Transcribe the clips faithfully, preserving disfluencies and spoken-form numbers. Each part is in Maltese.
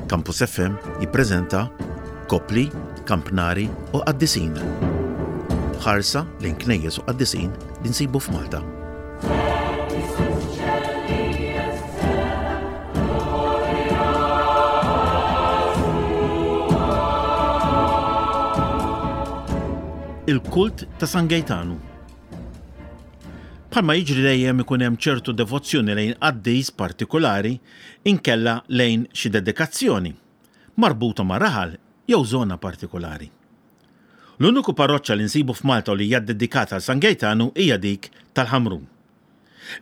Campus F M jippreżenta Kopli, Kampnari u Qaddisin. Ħarsa lejn knejjes u qaddisin li nsibu f'Malta. Il-kult ta' San Gejtanu. Bħalma jiġri dejjem, ikun hemm ċertu devozzjoni lejn qaddis partikolari inkella lejn xi dedikazzjoni marbuta ma' raħal jew żona partikolari. L-uniku parroċċa li nsibu f'Malta u li hija dedikata għal San Gejtanu hija dik tal-Ħamrun.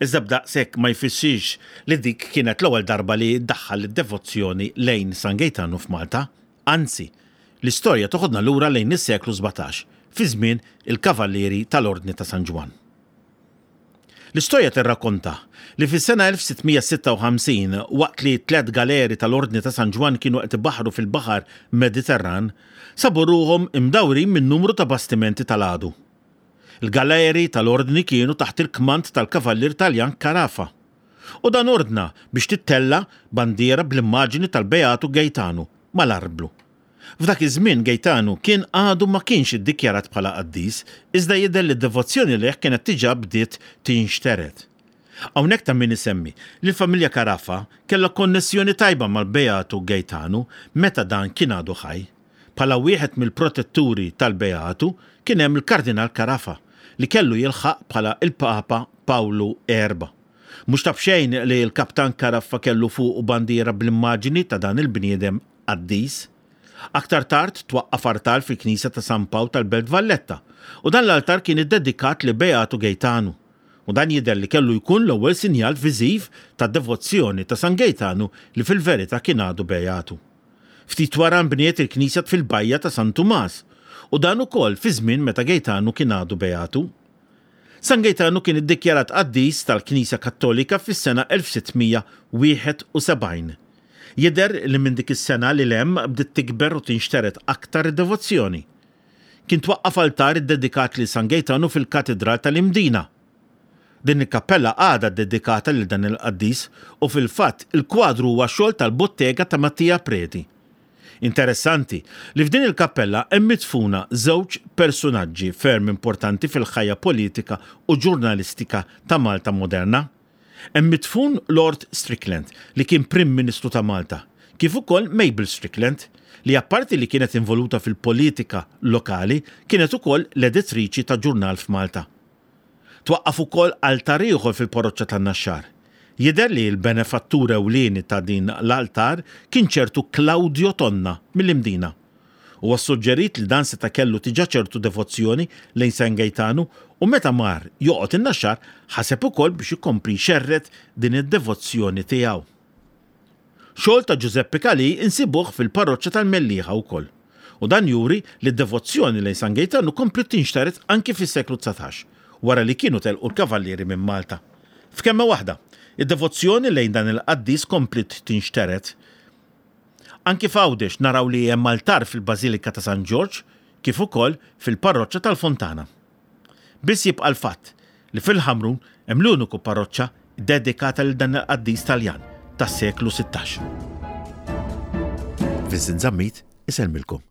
Iżda b'daqshekk ma jfissirx li dik kienet l-ewwel darba li ddaħħal id-devozzjoni lejn San Gejtanu f'Malta. Anzi, l-istorja toħodna lura lejn is-seklu sbatax, fi żmien il-Kavallieri tal-Ordni ta' San Ġwann. L-istorja tirrakkonta li fis-sena elf sitt mija sitta u ħamsin, waqt li tliet galeri tal-Ordni ta' San Ġwann kienu qed ibaħru fil-Baħar Mediterran, sabu ruhom imdawrin minn numru ta' bastimenti tal-għadu. Il-galeri tal-Ordni kienu taħt il-kmand tal-Kavallier Taljan Carafa. U dan ordna biex tittella bandiera bl-immaġini tal-Beatu Gejtanu mal-arblu. F'dak iż-żmien Gejtanu kien għadu ma kienx iddikjarat bħala qaddis, iżda jidher li d-devozzjoni lejh kienet diġà bdiet tinxtered. Hawnhekk ta' min isemmi li l-familja Carafa kellha konnessjoni tajba mal-Beatu Gejtanu meta dan kien għadu ħaj. Bħala wieħed mill-protetturi tal-Beatu kien hemm il-Kardinal Carafa, li kellu jilħaq bħala il-Papa Pawlu Erba. Mhux ta' bxejn li l-Kaptan Carafa kellu fuq bandiera bl-immaġini ta' dan il-bniedem qaddis. Aktar tard twaqqaf artal fil-Knisja ta' San Pawl tal-Belt Valletta u dan l-altar kien iddedikat li Beatu Gejtanu. U dan jidher li kellu jkun l-ewwel sinjal viżiv ta' devozzjoni ta' San Gejtanu, li fil-verità kien għadu Beatu. Ftit wara nbniet il-knisja fil-bajja ta' San Tumas u dan ukoll fi żmien meta Gejtanu kien għadu Beatu. San Gejtanu kien iddikjarat qaddis tal-Knisja Kattolika fis-sena elf sitt mija wieħed u sebgħin. Jidher li minn dik is-sena lil hemm bdiet tikber u tinxtered aktar id-devozzjoni. Kien twaqqaf altar iddedikat lil San Gejtanu fil-Katedral tal-Imdina. Din il-kappella għadha dedikata lil dan il-qaddis u fil-fatt il-kwadru huwa xogħol tal-bottega ta' Mattia Preti. Interessanti li f'din il-kappella hemm midfuna żewġ personaġġi ferm importanti fil-ħajja politika u ġurnalistika ta' Malta moderna. Hemm midfun Lord Strickland, li kien Prim Ministru ta' Malta, kif ukoll Mabel Strickland, li apparti li kienet involuta fil-politika lokali, kienet ukoll l-editriċi ta' ġurnal f'Malta. Twaqqaf ukoll altar ieħor fil-parroċċa tan-Naxxar. Jidher li l-benefattur ewlieni ta' din l-altar kien ċertu Claudio Tonna mill-Imdina. U suġġerit li dan seta' kellu diġà ċertu devozzjoni lejn San Gejtanu u meta mar joqgħod in-Naxxar ħaseb ukoll biex ikompli jxerred din id-devozzjoni tiegħu. Xogħol ta' Giuseppe Cali insibuh fil-parroċċa tal-Mellieħa wkoll. U dan juri li d-devozzjoni lejn San Gejtanu kompliet tinxtered anki fis-seklu dsatax, wara li kienu telqu l-kavallieri minn Malta. F'kelma waħda, id-devozzjoni lejn dan il-qaddis kompliet tinxtered. Anki f'Għawdex naraw li hemm altar fil-Bażilika ta' San Ġorġ, kif ukoll fil-parroċċa tal-Fontana. Biss jibqa' l-fatt li fil-Ħamrun hemm l-uniku parroċċa dedikata lil dan il-qaddis Taljan tas-seklu sittax. Vincent Zammit isellmilkom.